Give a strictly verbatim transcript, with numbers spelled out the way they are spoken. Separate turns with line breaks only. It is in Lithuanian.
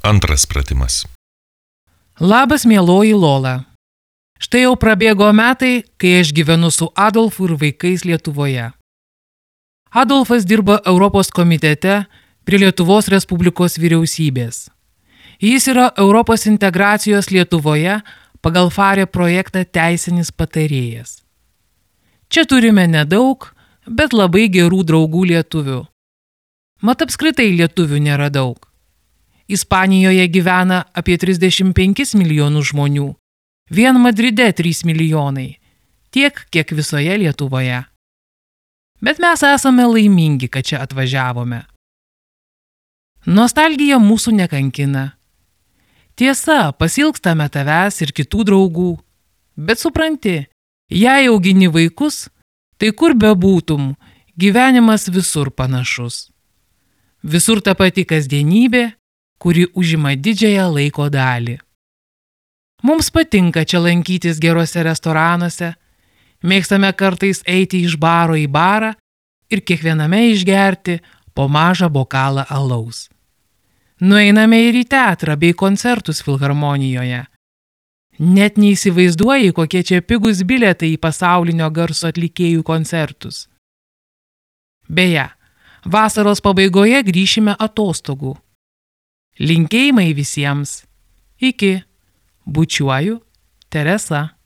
Antras pratimas.
Labas, mieloji Lola. Štai jau prabėgo metai, kai aš gyvenu su Adolfu ir vaikais Lietuvoje. Adolfas dirba Europos komitete prie Lietuvos Respublikos vyriausybės. Jis yra Europos integracijos Lietuvoje pagal FARE projektą teisinis patarėjas. Čia turime nedaug, bet labai gerų draugų lietuvių. Mat apskritai lietuvių nėra daug. Ispanijoje gyvena apie trisdešimt penkis milijonus žmonių, vien Madride trys milijonai, tiek, kiek visoje Lietuvoje. Bet mes esame laimingi, kad čia atvažiavome. Nostalgija mūsų nekankina. Tiesa, pasilgstame tavęs ir kitų draugų, bet supranti, jei augini vaikus, tai kur bebūtum, gyvenimas visur panašus. Visur ta pati kasdienybė, kuri užima didžiąją laiko dalį. Mums patinka čia lankytis geruose restoranuose, mėgstame kartais eiti iš baro į barą ir kiekviename išgerti po mažą bokalą alaus. Nueiname ir į teatrą bei koncertus filharmonijoje. Net neįsivaizduoji, kokie čia pigus bilietai į pasaulinio garso atlikėjų koncertus. Beje, vasaros pabaigoje grįšime atostogų. Linkėjimai visiems. Iki. Bučiuoju, Teresa.